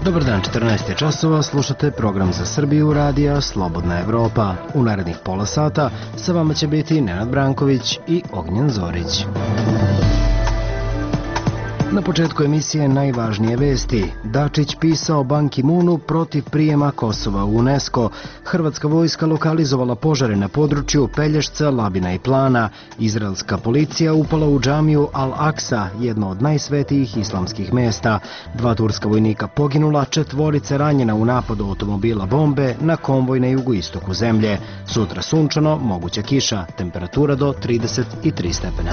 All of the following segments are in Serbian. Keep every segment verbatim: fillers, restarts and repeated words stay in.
Dobar dan, četrnaest je časova, slušate program za Srbiju radija Slobodna Evropa. U narednih pola sata sa vama će biti Nenad Branković i Ognjen Zorić. Na početku emisije najvažnije vesti. Dačić pisao Ban Ki-moonu protiv prijema Kosova u UNESCO. Hrvatska vojska lokalizovala požare na području Pelješca, Labina i Plana. Izraelska policija upala u džamiju Al-Aksa, jedno od najsvetijih islamskih mesta. Dva turska vojnika poginula, četvorice ranjena u napadu automobila bombe na konvoj na jugoistoku zemlje. Sutra sunčano, moguća kiša, temperatura do trideset tri stepena.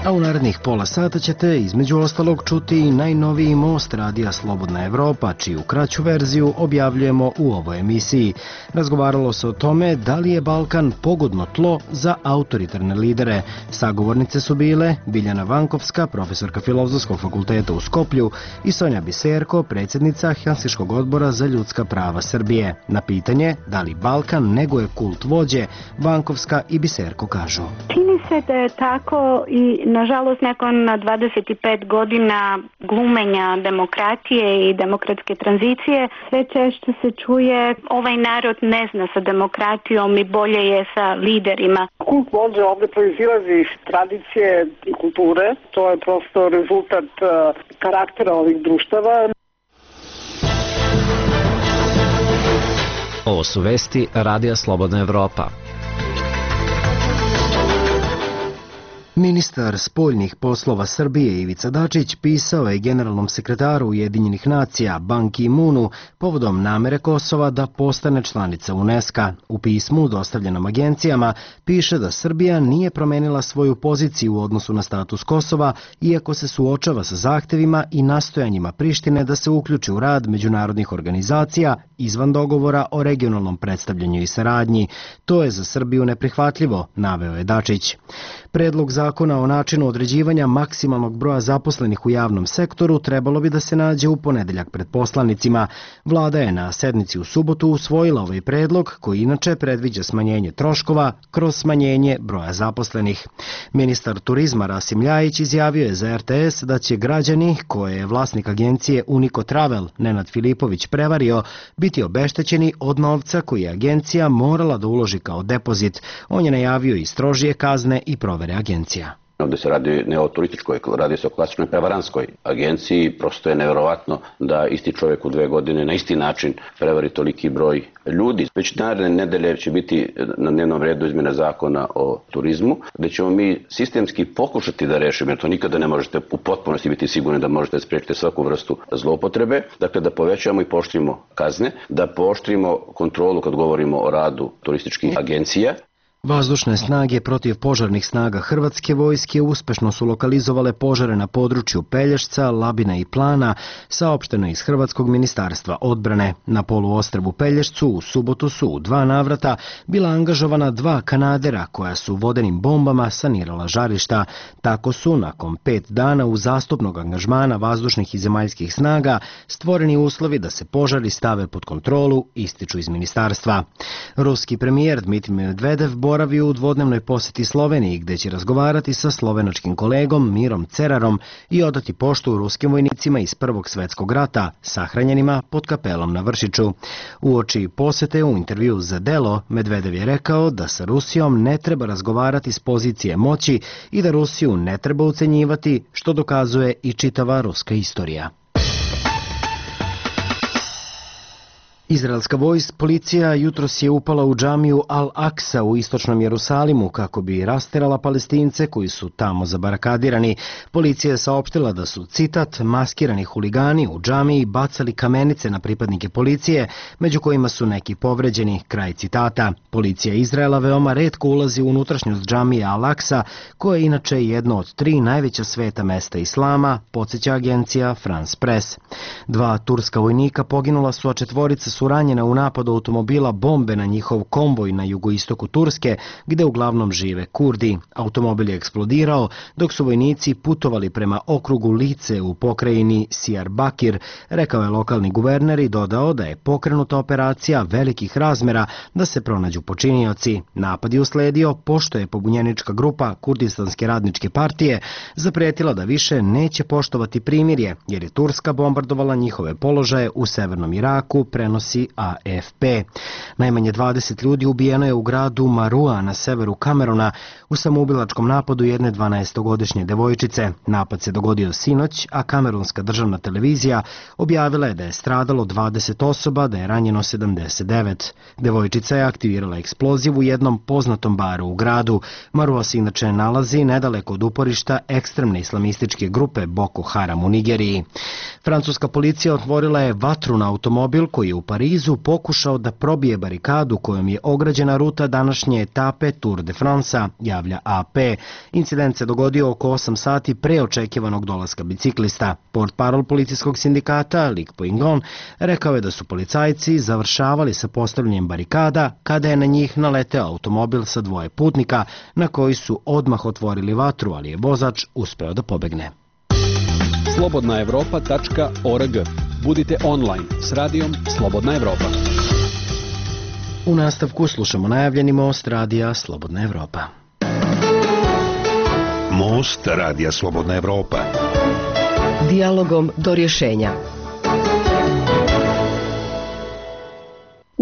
A u narednih pola sata ćete između ostalog čuti i najnoviji most radija Slobodna Evropa, čiju kraću verziju objavljujemo u ovoj emisiji. Razgovaralo se o tome da li je Balkan pogodno tlo za autoritarne lidere. Sagovornice su bile Biljana Vankovska, profesorka Filozofskog fakulteta u Skoplju, i Sonja Biserko, predsjednica Helsinškog odbora za ljudska prava Srbije. Na pitanje da li Balkan neguje kult vođe, Vankovska i Biserko kažu: Čini se da je tako i nažalost, nakon dvadeset pet godina glumenja demokratije i demokratske tranzicije, sve češće se čuje ovaj narod ne zna sa demokratijom i bolje je sa liderima. Kult vođe ovdje proizilazi iz tradicije i kulture. To je prosto rezultat karaktera ovih društava. Ovo su vesti Radija Slobodna Evropa. Ministar spoljnih poslova Srbije Ivica Dačić pisao je generalnom sekretaru Ujedinjenih nacija Ban Ki-moonu povodom namere Kosova da postane članica UNESCO. U pismu dostavljenom agencijama piše da Srbija nije promenila svoju poziciju u odnosu na status Kosova, iako se suočava sa zahtevima i nastojanjima Prištine da se uključi u rad međunarodnih organizacija izvan dogovora o regionalnom predstavljanju i saradnji. To je za Srbiju neprihvatljivo, naveo je Dačić. Predlog zakona o načinu određivanja maksimalnog broja zaposlenih u javnom sektoru trebalo bi da se nađe u ponedeljak pred poslanicima. Vlada je na sednici u subotu usvojila ovaj predlog, koji inače predviđa smanjenje troškova kroz smanjenje broja zaposlenih. Ministar turizma Rasim Ljajić izjavio je za er te es da će građani, koje je vlasnik agencije Unico Travel Nenad Filipović prevario, biti obeštećeni od novca koji je agencija morala da uloži kao depozit. On je najavio i strožije kazne i provere agencija. Ovdje se radi ne o turističkoj, radi se o klasičnoj prevaranskoj agenciji. Prosto je nevjerovatno da isti čovjek u dve godine na isti način prevari toliki broj ljudi. Već naredne nedelje će biti na dnevnom redu izmjena zakona o turizmu, gdje ćemo mi sistemski pokušati da rešimo, jer to nikada ne možete u potpunosti biti sigurni da možete spriječiti svaku vrstu zloupotrebe. Dakle, da povećamo i pooštrimo kazne, da pooštrimo kontrolu kad govorimo o radu turističkih agencija. Vazdušne snage protiv požarnih snaga Hrvatske vojske uspešno su lokalizovale požare na području Pelješca, Labina i Plana, saopšteno iz Hrvatskog ministarstva odbrane. Na poluostrvu Pelješcu u subotu su u dva navrata bila angažovana dva kanadera koja su vodenim bombama sanirala žarišta. Tako su, nakon pet dana uzastopnog angažmana vazdušnih i zemaljskih snaga, stvoreni uslovi da se požari stave pod kontrolu, ističu iz ministarstva. Ruski premijer Dmitrij Medvedev boravio u dvodnevnoj posjeti Sloveniji, gdje će razgovarati sa slovenačkim kolegom Mirom Cerarom i odati poštu ruskim vojnicima iz Prvog svjetskog rata, sahranjenima pod kapelom na Vršiću. Uoči posjete u intervju za Delo, Medvedev je rekao da sa Rusijom ne treba razgovarati s pozicije moći i da Rusiju ne treba ucenjivati, što dokazuje i čitava ruska istorija. Izraelska vojska policija jutros je upala u džamiju Al-Aksa u istočnom Jerusalimu kako bi rasterala Palestince koji su tamo zabarakadirani. Policija je saopštila da su, citat, maskirani huligani u džamiji bacali kamenice na pripadnike policije, među kojima su neki povređeni, kraj citata. Policija Izraela veoma retko ulazi u unutrašnjost džamije Al-Aksa, koja je inače jedno od tri najveća sveta mesta islama, podsjeća agencija France Press. Dva turska vojnika poginula su, a četvorica su su ranjene u napadu automobila bombe na njihov konvoj na jugoistoku Turske, gde uglavnom žive Kurdi. Automobil je eksplodirao dok su vojnici putovali prema okrugu Lice u pokrajini Diyarbakir, rekao je lokalni guverner i dodao da je pokrenuta operacija velikih razmera da se pronađu počinioci. Napad je usledio pošto je pobunjenička grupa Kurdistanske radničke partije zapretila da više neće poštovati primirje, jer je Turska bombardovala njihove položaje u severnom Iraku, prenosi A F P. Najmanje dvadeset ljudi ubijeno je u gradu Marua na severu Kameruna u samoubilačkom napadu jedne dvanaestogodišnje devojčice. Napad se dogodio sinoć, a kamerunska državna televizija objavila je da je stradalo dvadeset osoba, da je ranjeno sedamdeset devet. Devojčica je aktivirala eksploziv u jednom poznatom baru u gradu. Marua se inače nalazi nedaleko od uporišta ekstremne islamističke grupe Boko Haram u Nigeriji. Francuska policija otvorila je vatru na automobil koji je u Parizu pokušao da probije barikadu kojom je ograđena ruta današnje etape Tour de France-a, javlja A P. Incident se dogodio oko osam sati pre očekivanog dolaska biciklista. Portparol policijskog sindikata, Luc Poingon, rekao je da su policajci završavali sa postavljanjem barikada kada je na njih naleteo automobil sa dvoje putnika na koji su odmah otvorili vatru, ali je vozač uspeo da pobegne. slobodna evropa tačka org. Budite online s radijom Slobodna Evropa. U nastavku slušamo najavljeni most radija Slobodna Evropa. Most radija Slobodna Evropa. Dijalogom do rješenja.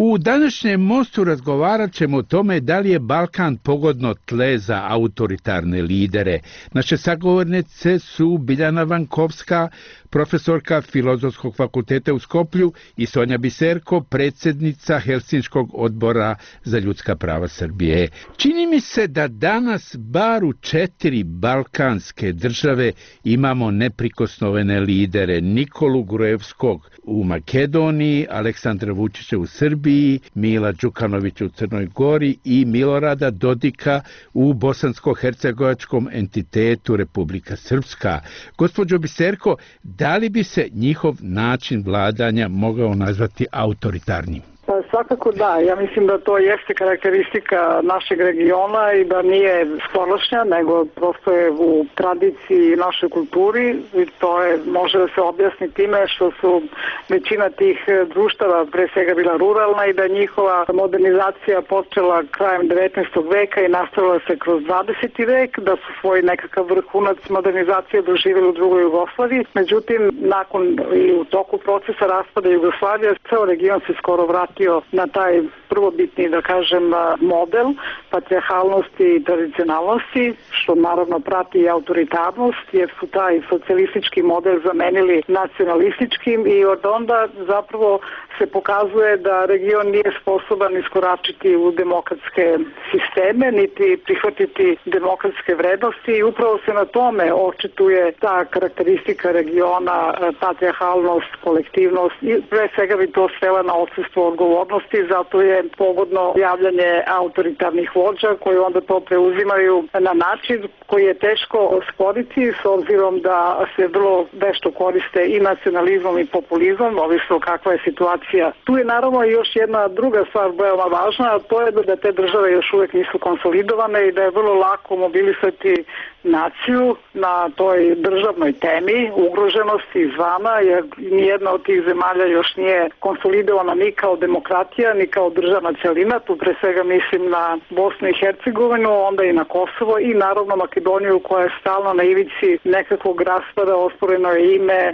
U današnjem mostu razgovarat ćemo o tome da li je Balkan pogodno tle za autoritarne lidere. Naše sagovornice su Biljana Vankovska, profesorka Filozofskog fakulteta u Skoplju, i Sonja Biserko, predsjednica Helsinškog odbora za ljudska prava Srbije. Čini mi se da danas bar u četiri balkanske države imamo neprikosnovene lidere: Nikolu Gruevskog u Makedoniji, Aleksandra Vučića u Srbiji, Mila Đukanovića u Crnoj Gori i Milorada Dodika u bosansko-hercegovačkom entitetu Republika Srpska. Gospođo Biserko, da li bi se njihov način vladanja mogao nazvati autoritarnim? Pa svakako da, ja mislim da to jeste karakteristika našeg regiona i da nije skorošnja, nego prosto je u tradiciji našoj kulturi i to je, može da se objasni time što su većina tih društava pre svega bila ruralna i da njihova modernizacija počela krajem devetnaestog veka i nastavila se kroz dvadeseti vek, da su svoj nekakav vrhunac modernizacije doživjeli u drugoj Jugoslaviji. Međutim, nakon i u toku procesa raspada Jugoslavije, ceo region se skoro vratio na taj prvobitni, da kažem, model patrijarhalnosti i tradicionalnosti, što naravno prati i autoritarnost, jer su taj socijalistički model zamenili nacionalističkim i od onda zapravo se pokazuje da region nije sposoban iskoračiti u demokratske sisteme, niti prihvatiti demokratske vrednosti i upravo se na tome očituje ta karakteristika regiona, patrijarhalnost, kolektivnost i pre svega bi to svela na odsustvo odgovornosti, zato je pogodno javljanje autoritarnih vođa koji onda to preuzimaju na način koji je teško osporiti s obzirom da se vrlo vešto koriste i nacionalizmom i populizmom, ovisno kakva je situacija. Tu je naravno još jedna druga stvar veoma važna, a to je da te države još uvijek nisu konsolidovane i da je vrlo lako mobilisati naciju na toj državnoj temi ugroženosti izvana, jer nijedna od tih zemalja još nije konsolidovana ni kao demokratija, ni kao državna celina. Tu pre svega mislim na Bosnu i Hercegovinu, onda i na Kosovo i naravno Makedoniju koja je stalno na ivici nekakvog raspada, osporeno je ime,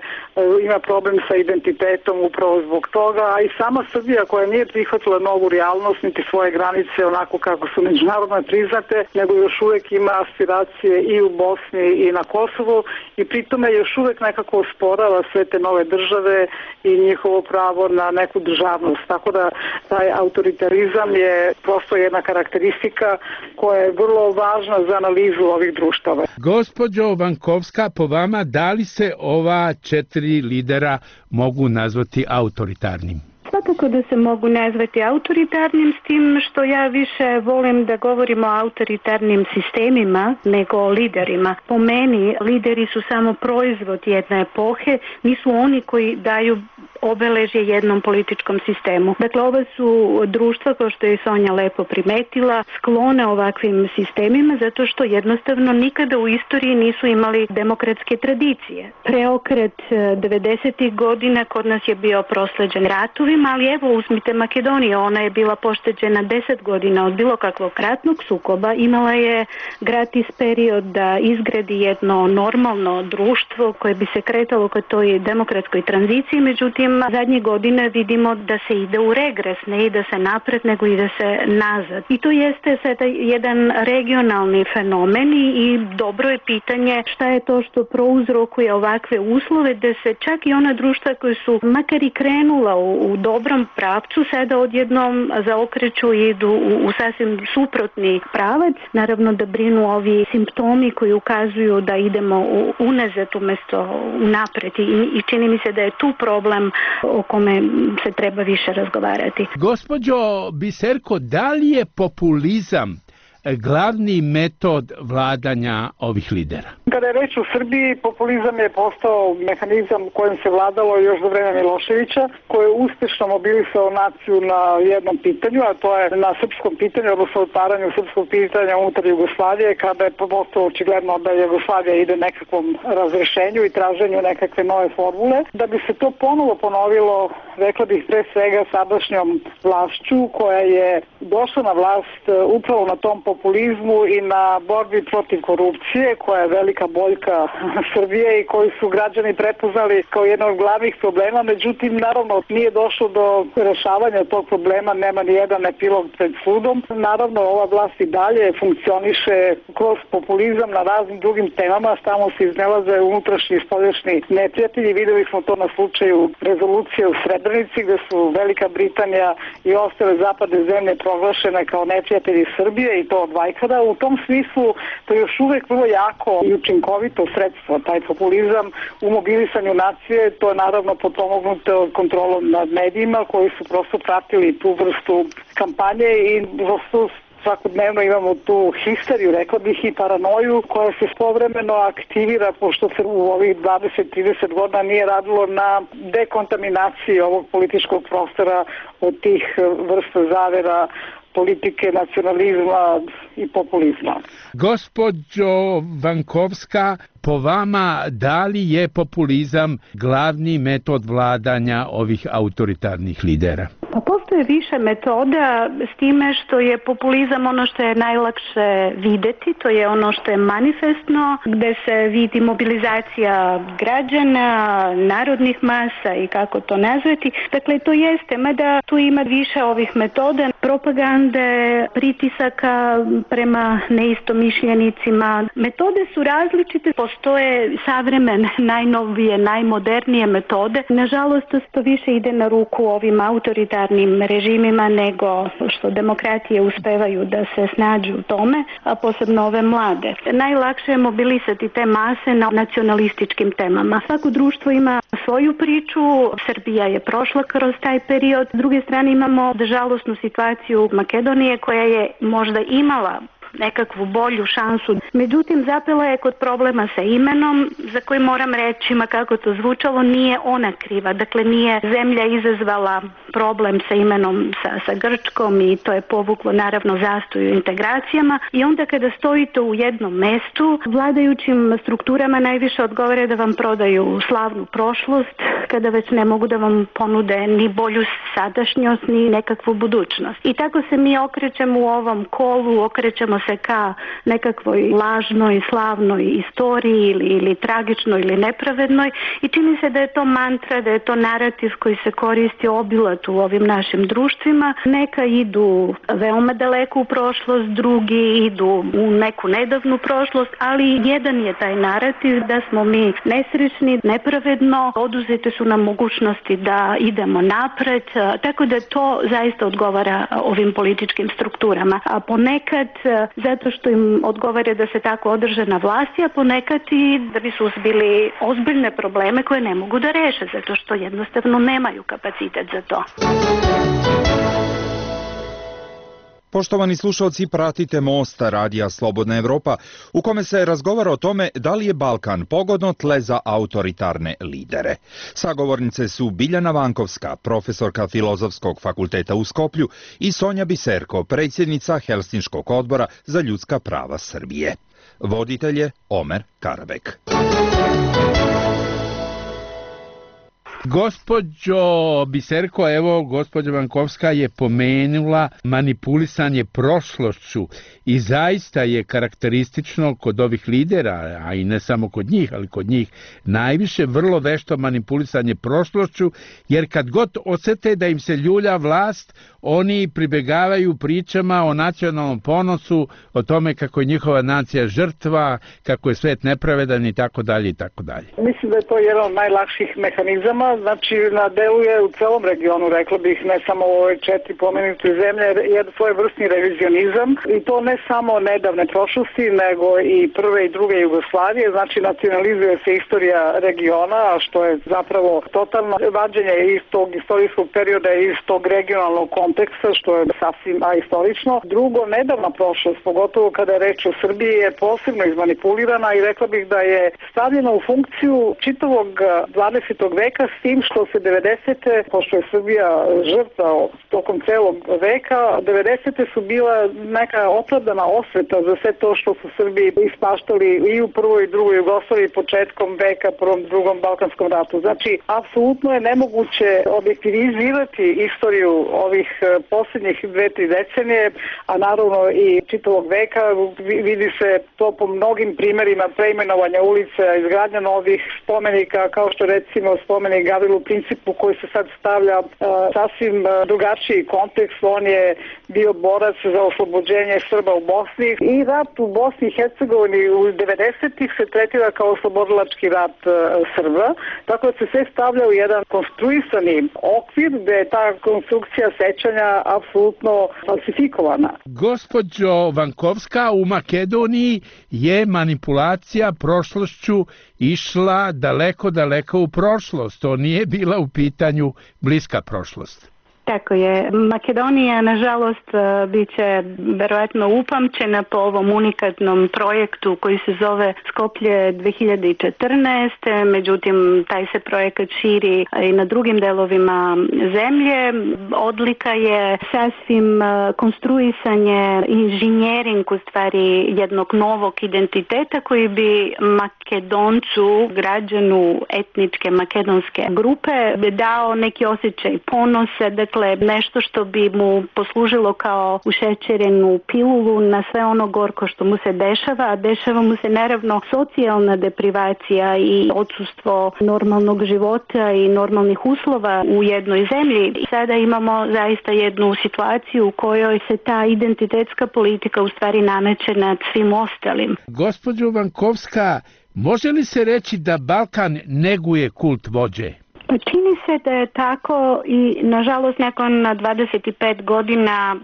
ima problem sa identitetom upravo zbog toga, a i sama Srbija koja nije prihvatila novu realnost niti svoje granice onako kako su međunarodno priznate, nego još uvijek ima aspiracije i u Bosni i na Kosovu i pritome još uvijek nekako osporava sve te nove države i njihovo pravo na neku državnost. Tako da taj autoritarizam je prosto jedna karakteristika koja je vrlo važna za analizu ovih društava. Gospođo Vankovska, po vama, da li se ova četiri lidera mogu nazvati autoritarnim? Pa Svakako da se mogu nazvati autoritarnim, s tim što ja više volim da govorimo o autoritarnim sistemima nego o liderima. Po meni, lideri su samo proizvod jedne epohe, nisu oni koji daju obeležje jednom političkom sistemu. Dakle, ova su društva, kao što je Sonja lepo primetila, sklone ovakvim sistemima zato što jednostavno nikada u istoriji nisu imali demokratske tradicije. Preokret devedesetih godina kod nas je bio prosleđen ratovima, ali evo uzmite Makedoniju, ona je bila pošteđena deset godina od bilo kakvog ratnog sukoba, imala je gratis period da izgradi jedno normalno društvo koje bi se kretalo ka toj demokratskoj tranziciji, međutim zadnje godine vidimo da se ide u regres, ne ide se napred, nego ide se nazad. I to jeste sada jedan regionalni fenomen i dobro je pitanje šta je to što prouzrokuje ovakve uslove da se čak i ona društva koje su makar i krenula u, u dobrom pravcu sada odjednom zaokreću i idu u, u sasvim suprotni pravac. Naravno da brinu ovi simptomi koji ukazuju da idemo u, unazad umjesto unapred i, i čini mi se da je tu problem o kome se treba više razgovarati. Gospođo Biserko, da li je populizam glavni metod vladanja ovih lidera? Kada je reč o Srbiji, populizam je postao mehanizam kojim se vladalo još za vreme Miloševića, koji je uspešno mobilisao naciju na jednom pitanju, a to je na srpskom pitanju, odnosno otvaranju srpskog pitanja unutar Jugoslavije, kada je postao očigledno da Jugoslavija ide nekakvom razrešenju i traženju nekakve nove formule. Da bi se to ponovo ponovilo, rekla bih pre svega sadašnjom vlašću, koja je došla na vlast upravo na tom populizmu i na borbi protiv korupcije, koja je velika boljka Srbije i koji su građani prepoznali kao jedan od glavnih problema. Međutim, naravno, nije došlo do rešavanja tog problema, nema ni jedan epilog pred sudom. Naravno, ova vlast i dalje funkcioniše kroz populizam na raznim drugim temama, tamo se iznelaze unutrašnji i spoljašnji neprijatelji. Videli smo to na slučaju rezolucije u Srebrenici, gde su Velika Britanija i ostale zapadne zemlje proglašene kao neprijatelji Srbije i to od vajkada. U tom smislu to je još uvek vrlo jako i učinkovito sredstvo, taj populizam u mobilisanju nacije. To je naravno potpomognuto kontrolom nad medijima koji su prosto pratili tu vrstu kampanje i prosto svakodnevno imamo tu histeriju, rekla bih, i paranoju koja se povremeno aktivira, pošto se u ovih dvadeset do trideset godina nije radilo na dekontaminaciji ovog političkog prostora od tih vrsta zavera, politike, nacionalizma i populizma. Gospođo Vankovska, po vama, da li je populizam glavni metod vladanja ovih autoritarnih lidera? Pa postoje više metoda, s time što je populizam ono što je najlakše videti, to je ono što je manifestno, gde se vidi mobilizacija građana, narodnih masa i kako to nazvati. Dakle, to jeste, mada tu ima više ovih metoda, propagande, pritisaka prema neistomišljenicima. Metode su različite, postoje savremene, najnovije, najmodernije metode. Nažalost, to više ide na ruku ovim autoritarnim režimima nego što demokratije uspevaju da se snađu u tome, a posebno ove mlade. Najlakše je mobilisati te mase na nacionalističkim temama. Svako društvo ima svoju priču, Srbija je prošla kroz taj period. S druge strane imamo žalosnu situaciju Makedonije koja je možda imala nekakvu bolju šansu. Međutim, zapela je kod problema sa imenom, za koji moram reći, ma kako to zvučalo, nije ona kriva. Dakle, nije zemlja izazvala problem sa imenom sa, sa Grčkom i to je povuklo naravno zastoj u integracijama. I onda kada stojite u jednom mestu, vladajućim strukturama najviše odgovore da vam prodaju slavnu prošlost, kada već ne mogu da vam ponude ni bolju sadašnjost, ni nekakvu budućnost. I tako se mi okrećemo u ovom kolu, okrećemo se ka nekakvoj lažnoj, slavnoj istoriji ili, ili tragičnoj ili nepravednoj i čini se da je to mantra, da je to narativ koji se koristi obilat u ovim našim društvima. Neka idu veoma daleko u prošlost, drugi idu u neku nedavnu prošlost, ali jedan je taj narativ da smo mi nesrećni, nepravedno, oduzete su nam mogućnosti da idemo napred, tako da to zaista odgovara ovim političkim strukturama. A ponekad zato što im odgovara da se tako održe na vlasti, a ponekad i da bi suzbili ozbiljne probleme koje ne mogu da reše, zato što jednostavno nemaju kapacitet za to. Poštovani slušalci, pratite Most, radija Slobodna Evropa, u kome se razgovara o tome da li je Balkan pogodno tle za autoritarne lidere. Sagovornice su Biljana Vankovska, profesorka Filozofskog fakulteta u Skoplju, i Sonja Biserko, predsjednica Helsinškog odbora za ljudska prava Srbije. Voditelj je Omer Karabek. Gospođo Biserko, evo, gospođa Vankovska je pomenula manipulisanje prošlošću i zaista je karakteristično kod ovih lidera, a i ne samo kod njih, ali kod njih najviše vrlo vešto manipulisanje prošlošću, jer kad god osete da im se ljulja vlast, oni pribegavaju pričama o nacionalnom ponosu, o tome kako je njihova nacija žrtva, kako je svet nepravedan i tako dalje i tako dalje. Mislim da je to jedan od najlakših mehanizama, znači nadeluje u celom regionu, rekla bih, ne samo u ove četiri pomenute zemlje, jedan svojevrsni revizionizam, i to ne samo nedavne prošlosti, nego i prve i druge Jugoslavije, znači nacionalizuje se istorija regiona, a što je zapravo totalno vađenje iz tog istorijskog perioda, iz tog regionalnog konteksta, što je sasvim ahistorično. Drugo, nedavna prošlost, pogotovo kada je reč o Srbiji, je posebno izmanipulirana i rekla bih da je stavljena u funkciju čitavog dvadesetog veka, s tim što se devedesete, pošto je Srbija žrtva tokom celog veka, devedesete su bila neka opravdana osveta za sve to što su Srbi ispaštali i u prvoj i drugoj Jugoslaviji početkom veka, prvom, drugom Balkanskom ratu. Znači, apsolutno je nemoguće objektivizirati istoriju ovih posljednjih dve, tri decenije, a naravno i čitavog veka. Vidi se to po mnogim primerima preimenovanja ulica, izgradnja novih spomenika, kao što recimo spomenik Gavrilu Principu, koji se sad stavlja uh, sasvim uh, drugačiji kontekst. On je bio borac za oslobođenje Srba u Bosni i rat u Bosni i Hercegovini u devedesetih se tretira kao oslobodilački rat uh, Srba, tako da se sve stavlja u jedan konstruisani okvir gde je ta konstrukcija sećanja apsolutno falsifikovana. Gospođo Vankovska, u Makedoniji je manipulacija prošlošću išla daleko, daleko u prošlost. To nije bila u pitanju bliska prošlost. Tako je. Makedonija, nažalost, bit će verovatno upamćena po ovom unikatnom projektu koji se zove Skoplje dve hiljade četrnaeste. Međutim, taj se projekat širi i na drugim delovima zemlje. Odlika je sasvim konstruisanje, inženjering u stvari jednog novog identiteta koji bi Makedoncu, građanu etničke makedonske grupe, dao neki osjećaj ponosa, dakle nešto što bi mu poslužilo kao ušećerenu pilulu na sve ono gorko što mu se dešava, a dešava mu se naravno socijalna deprivacija i odsustvo normalnog života i normalnih uslova u jednoj zemlji. I sada imamo zaista jednu situaciju u kojoj se ta identitetska politika u stvari nameće nad svim ostalim. Gospođo Vankovska, može li se reći da Balkan neguje kult vođe? Čini se da je tako i nažalost nakon dvadeset pet godina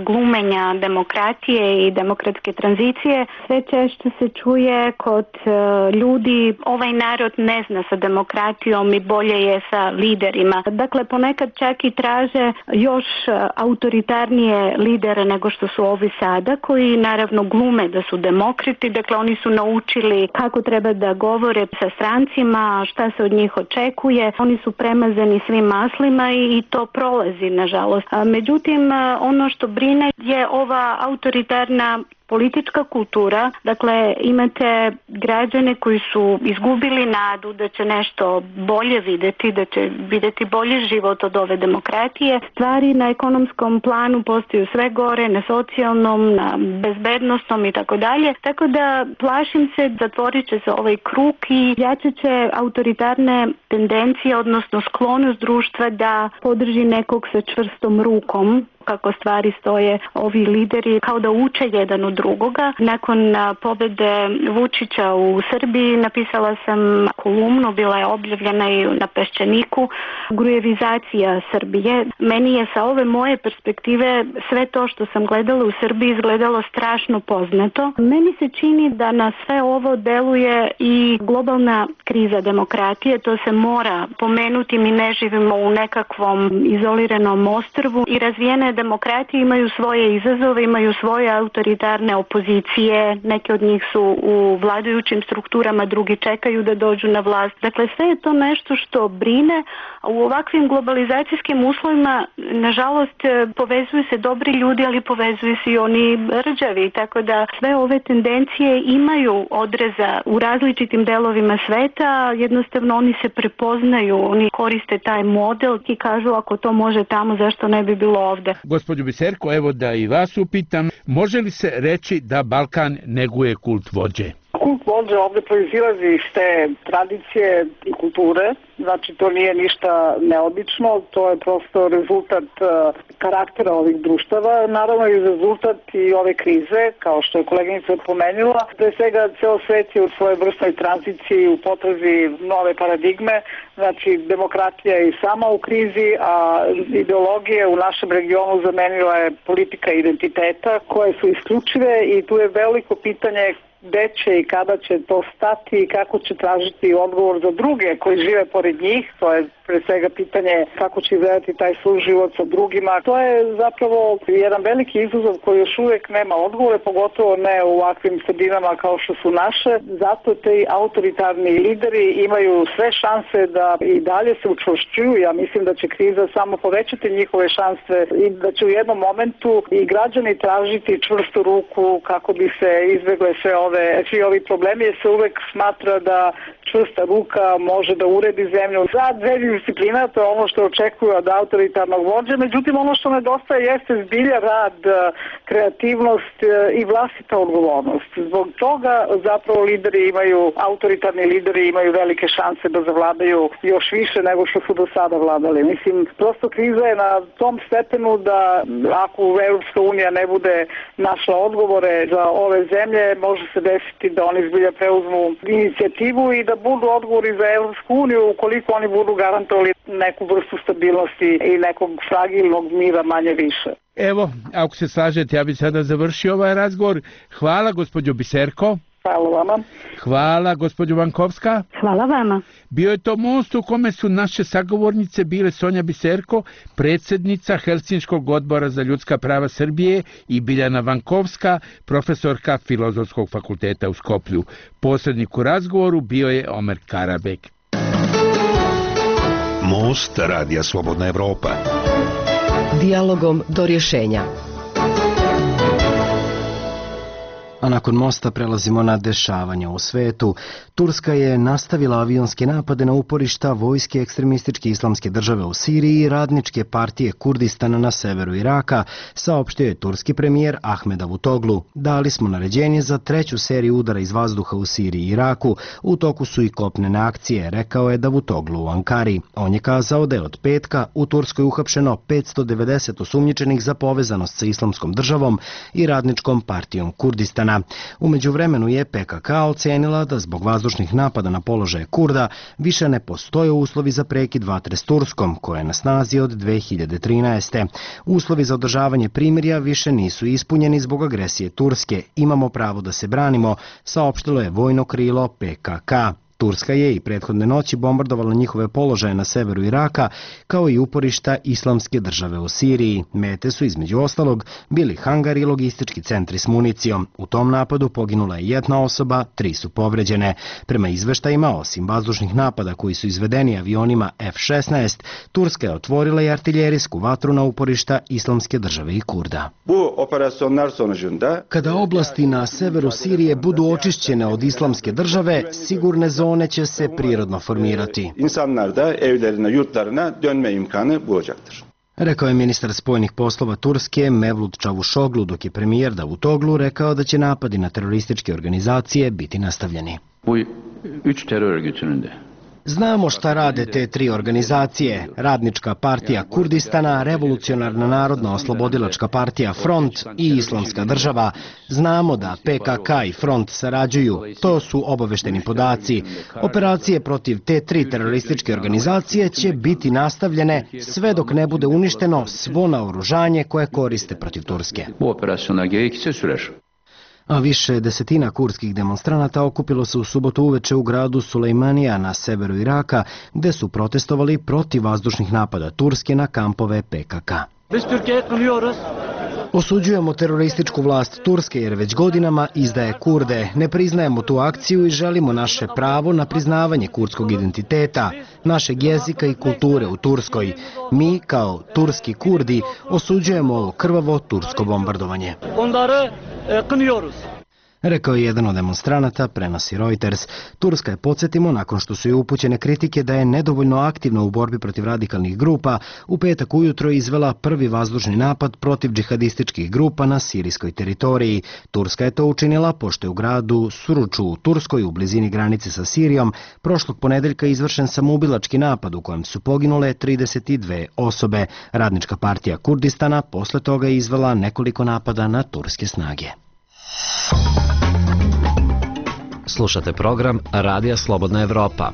glumenja demokratije i demokratske tranzicije sve češće se čuje kod ljudi ovaj narod ne zna sa demokratijom i bolje je sa liderima. Dakle, ponekad čak i traže još autoritarnije lidere nego što su ovi sada, koji naravno glume da su demokrati. Dakle, oni su naučili kako treba da govore sa strancima, šta se od njih očekuje. Oni su premazani svim maslima i to prolazi, nažalost. Međutim, ono što brine je ova autoritarna politička kultura. Dakle, imate građane koji su izgubili nadu da će nešto bolje videti, da će videti bolji život od ove demokratije. Stvari na ekonomskom planu postaju sve gore, na socijalnom, na bezbednostnom i tako dalje. Tako da plašim se, zatvorit će se ovaj krug i jačat će autoritarne tendencije, odnosno sklonost društva da podrži nekog sa čvrstom rukom. Kako stvari stoje, ovi lideri kao da uče jedan od drugoga. Nakon pobede Vučića u Srbiji napisala sam kolumnu, bila je objavljena i na Peščaniku, grujevizacija Srbije. Meni je sa ove moje perspektive sve to što sam gledala u Srbiji izgledalo strašno poznato. Meni se čini da na sve ovo deluje i globalna kriza demokratije, to se mora pomenuti, mi ne živimo u nekakvom izoliranom ostrvu i razvijene demokratije imaju svoje izazove, imaju svoje autoritarne opozicije, neke od njih su u vladajućim strukturama, drugi čekaju da dođu na vlast. Dakle, sve je to nešto što brine, a u ovakvim globalizacijskim uslovima, nažalost, povezuju se dobri ljudi, ali povezuju se i oni rđavi, tako da sve ove tendencije imaju odreza u različitim delovima sveta, jednostavno oni se prepoznaju, oni koriste taj model i kažu ako to može tamo, zašto ne bi bilo ovde. Gospođo Biserko, evo da i vas upitam, može li se reći da Balkan neguje kult vođe? Kult vođe ovde proizilazi iz te tradicije i kulture, znači to nije ništa neobično, to je prosto rezultat uh, karaktera ovih društava, naravno i rezultat i ove krize, kao što je koleginica pomenula. Pre svega, ceo svet je u svojoj vrstnoj tranziciji u potrazi nove paradigme, znači demokratija je i sama u krizi, a ideologije u našem regionu zamenila je politika identiteta, koje su isključive i tu je veliko pitanje gde će i kada će to stati i kako će tražiti odgovor za druge koji žive pored njih. To je pre svega pitanje kako će izgledati taj suživot sa drugima. To je zapravo jedan veliki izazov koji još uvek nema odgovore, pogotovo ne u ovakvim sredinama kao što su naše. Zato te autoritarni lideri imaju sve šanse da i dalje se učvršćuju. Ja mislim da će kriza samo povećati njihove šanse i da će u jednom momentu i građani tražiti čvrstu ruku kako bi se izbegle sve ove, svi ovi problemi, jer se uvek smatra da čvrsta ruka može da uredi zemlju. Za dve disciplina, to je ono što očekuju od autoritarnog vođe, međutim ono što nedostaje jeste zbilja rad, kreativnost i vlastita odgovornost. Zbog toga zapravo lideri imaju, autoritarni lideri imaju velike šanse da zavladaju još više nego što su do sada vladali. Mislim, prosto kriza je na tom stepenu da ako Evropska unija ne bude našla odgovore za ove zemlje, može se desiti da oni zbilja preuzmu inicijativu i da budu odgovori za Evropsku uniju ukoliko oni budu garantovali neku vrstu stabilnosti i nekog fragilnog mira manje više. Evo, ako se slažete, ja bih sada završio ovaj razgovor. Hvala, gospođo Biserko. Hvala vama. Hvala, gospođo Vankovska. Hvala vama. Bio je to most u kome su naše sagovornice bile Sonja Biserko, predsjednica Helsinškog odbora za ljudska prava Srbije, i Biljana Vankovska, profesorka Filozofskog fakulteta u Skoplju. Posrednik u razgovoru bio je Omer Karabek. Most Radija Slobodna Evropa. Dijalogom do rješenja. A nakon mosta prelazimo na dešavanja u svetu. Turska je nastavila avionske napade na uporišta vojske ekstremističke islamske države u Siriji i radničke partije Kurdistana na severu Iraka, saopštio je turski premijer Ahmed Davutoglu. Dali smo naređenje za treću seriju udara iz vazduha u Siriji i Iraku. U toku su i kopnene akcije, rekao je Davutoglu u Ankari. On je kazao da je od petka u Turskoj uhapšeno petsto devedeset osumnjičenih za povezanost sa islamskom državom i radničkom partijom Kurdistana. U međuvremenu je P K K ocenila da zbog vazdušnih napada na položaje Kurda više ne postoje uslovi za prekid vatre s Turskom, koja je na snazi od dve hiljade trinaeste. Uslovi za održavanje primirja više nisu ispunjeni zbog agresije Turske. Imamo pravo da se branimo, saopštilo je vojno krilo P K K. Turska je i prethodne noći bombardovala njihove položaje na severu Iraka, kao i uporišta islamske države u Siriji. Mete su između ostalog bili hangari i logistički centri s municijom. U tom napadu poginula je jedna osoba, tri su povređene. Prema izveštajima, osim vazdušnih napada koji su izvedeni avionima F šesnaest, Turska je otvorila i artiljerijsku vatru na uporišta islamske države i Kurda. Kada oblasti na severu Sirije budu očišćene od islamske države, sigurne zone One će se prirodno formirati. İnsanlar da evlerine, yurtlarına dönme imkanı bulacaktır. Rekao je ministar spoljnih poslova Turske Mevlut Çavuşoglu, dok je premijer Davutoglu rekao da će napadi na terorističke organizacije biti nastavljeni. Bu üç terör örgütünün de Znamo šta rade te tri organizacije, Radnička partija Kurdistana, Revolucionarna narodna oslobodilačka partija Front i Islamska država. Znamo da P K K i Front sarađuju, to su obavešteni podaci. Operacije protiv te tri terorističke organizacije će biti nastavljene sve dok ne bude uništeno svo naoružanje koje koriste protiv Turske. A više desetina kurdskih demonstranata okupilo se u subotu uveče u gradu Sulejmanija na severu Iraka, gde su protestovali protiv vazdušnih napada Turske na kampove P K K. Osuđujemo terorističku vlast Turske jer već godinama izdaje Kurde. Ne priznajemo tu akciju i želimo naše pravo na priznavanje kurdskog identiteta, našeg jezika i kulture u Turskoj. Mi, kao turski Kurdi, osuđujemo ovo krvavo tursko bombardovanje. Rekao je jedan od demonstranata, prenosi Reuters. Turska je, podsjetimo, nakon što su joj upućene kritike da je nedovoljno aktivna u borbi protiv radikalnih grupa, u petak ujutro izvela prvi vazdušni napad protiv džihadističkih grupa na sirijskoj teritoriji. Turska je to učinila pošto je u gradu Suruču u Turskoj, u blizini granice sa Sirijom, prošlog ponedeljka izvršen samoubilački napad u kojem su poginule trideset dve osobe. Radnička partija Kurdistana posle toga je izvela nekoliko napada na turske snage. Slušate program Radija Slobodna Evropa.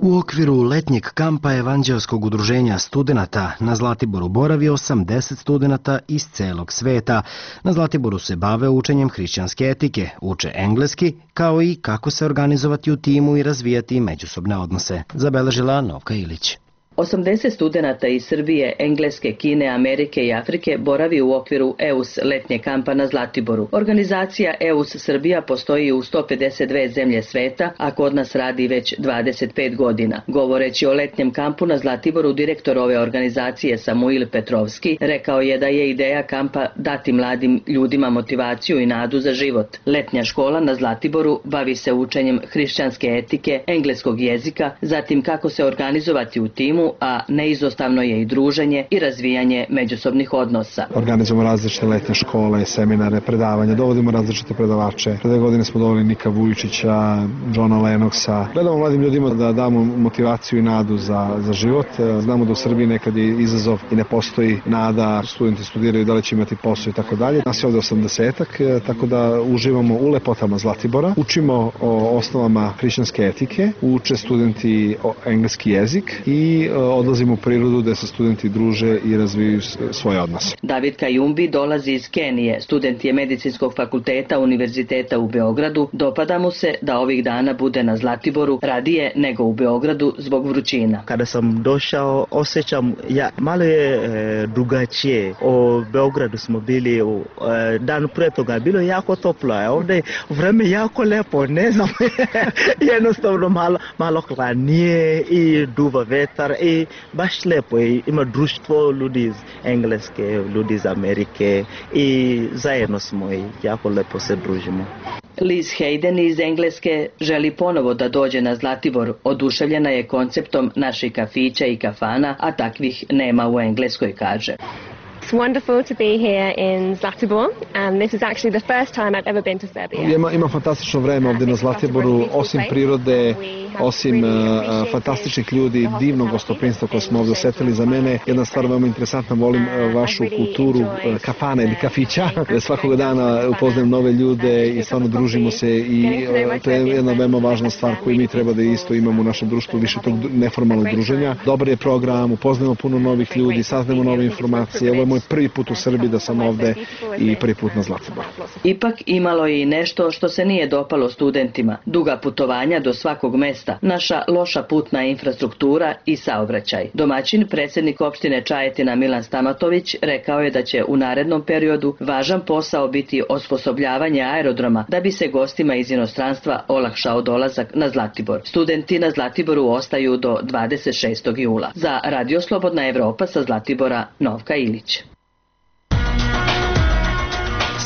U okviru letnjeg kampa Evanđelskog udruženja studenata na Zlatiboru boravi osamdeset studenata iz celog sveta. Na Zlatiboru se bave učenjem hrišćanske etike, uče engleski, kao i kako se organizovati u timu i razvijati međusobne odnose, zabeležila Novka Ilić. osamdeset studenata iz Srbije, Engleske, Kine, Amerike i Afrike boravi u okviru E U S letnje kampa na Zlatiboru. Organizacija E U S Srbija postoji u sto pedeset dve zemlje sveta, a kod nas radi već dvadeset pet godina. Govoreći o letnjem kampu na Zlatiboru, direktor ove organizacije Samuil Petrovski rekao je da je ideja kampa dati mladim ljudima motivaciju i nadu za život. Letnja škola na Zlatiboru bavi se učenjem hrišćanske etike, engleskog jezika, zatim kako se organizovati u timu, a neizostavno je i druženje i razvijanje međusobnih odnosa. Organizujemo različite letnje škole, seminare, predavanja, dovodimo različite predavače. Pre dve godine smo doveli Nika Vujičića, Johna Lennoxa. Gledamo mladim ljudima da damo motivaciju i nadu za, za život. Znamo da u Srbiji nekad je izazov i ne postoji nada, studenti studiraju da li će imati posao i tako dalje. Nas je ovde osamdesetak, tako da uživamo u lepotama Zlatibora. Učimo o osnovama hrišćanske etike, uče studenti engleski jezik i odlazimo u prirodu gde se studenti druže i razvijaju svoje odnose. David Kajumbi dolazi iz Kenije, student je medicinskog fakulteta Univerziteta u Beogradu. Dopada mu se da ovih dana bude na Zlatiboru radije nego u Beogradu zbog vrućina. Kada sam došao, osjećam, ja, malo je e, drugačije. U Beogradu smo bili u, e, dan pre toga, bilo jako toplo, a ovdje vreme jako lepo, ne znam, jednostavno malo, malo hladnije i duva vetar i baš lepo, ima društvo ljudi iz Engleske, ljudi iz Amerike i zajedno smo i jako lepo se družimo. Liz Hayden iz Engleske želi ponovo da dođe na Zlatibor. Oduševljena je konceptom naših kafića i kafana, a takvih nema u Engleskoj, kaže. It's wonderful to be here in Zlatibor, and this is actually the first time I've ever been to Serbia. Ima, ima fantastično vreme ovdje na Zlatiboru, osim prirode, osim uh, fantastičnih ljudi, divnog gostoprinstva koje smo ovdje osetili. Za mene jedna stvar veoma interesantna, volim uh, vašu kulturu uh, kafana ili kafića. Svakog dana upoznajem nove ljude i stvarno družimo se i uh, to je jedna veoma važna stvar koju mi treba da isto imamo u našem društvu, više tog neformalnog druženja. Dobar je program, upoznajemo puno novih ljudi, saznajemo nove informacije. Ovo je moj prvi put u Srbiji da sam ovde i prvi put na Zlatiboru. Ipak imalo je i nešto što se nije dopalo studentima. Duga putovanja do svakog mesta, naša loša putna infrastruktura i saobraćaj. Domaćin, predsjednik opštine Čajetina Milan Stamatović, rekao je da će u narednom periodu važan posao biti osposobljavanje aerodroma da bi se gostima iz inostranstva olakšao dolazak na Zlatibor. Studenti na Zlatiboru ostaju do dvadeset šestog jula. Za Radio Slobodna Evropa sa Zlatibora, Novka Ilić.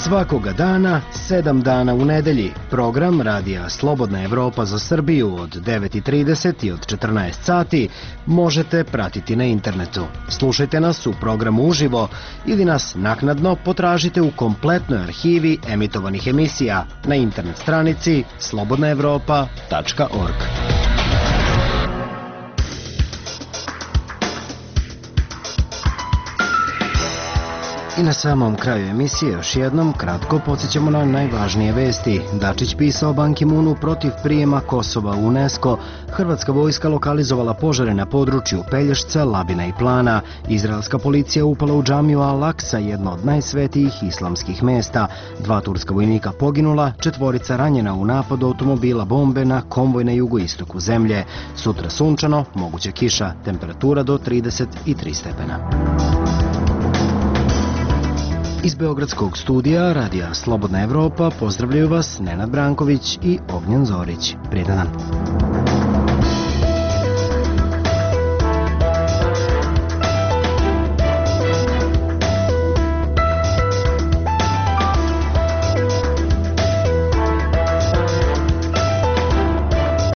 Svakoga dana, sedam dana u nedelji, program Radija Slobodna Evropa za Srbiju od devet i trideset i od četrnaest sati možete pratiti na internetu. Slušajte nas u programu uživo ili nas naknadno potražite u kompletnoj arhivi emitovanih emisija na internet stranici slobodna evropa tačka org. I na samom kraju emisije još jednom kratko podsjećamo na najvažnije vesti. Dačić pisao Ban Ki-moonu protiv prijema Kosova u UNESCO. Hrvatska vojska lokalizovala požare na području Pelješca, Labina i Plana. Izraelska policija upala u džamiju Al-Aksa, jedno od najsvetijih islamskih mesta. Dva turska vojnika poginula, četvorica ranjena u napadu automobila bombe na konvoj na jugoistoku zemlje. Sutra sunčano, moguća kiša, temperatura do trideset tri stepena. Iz Beogradskog studija Radija Slobodna Evropa pozdravljaju vas Nenad Branković i Ognjen Zorić. Prijetan dan.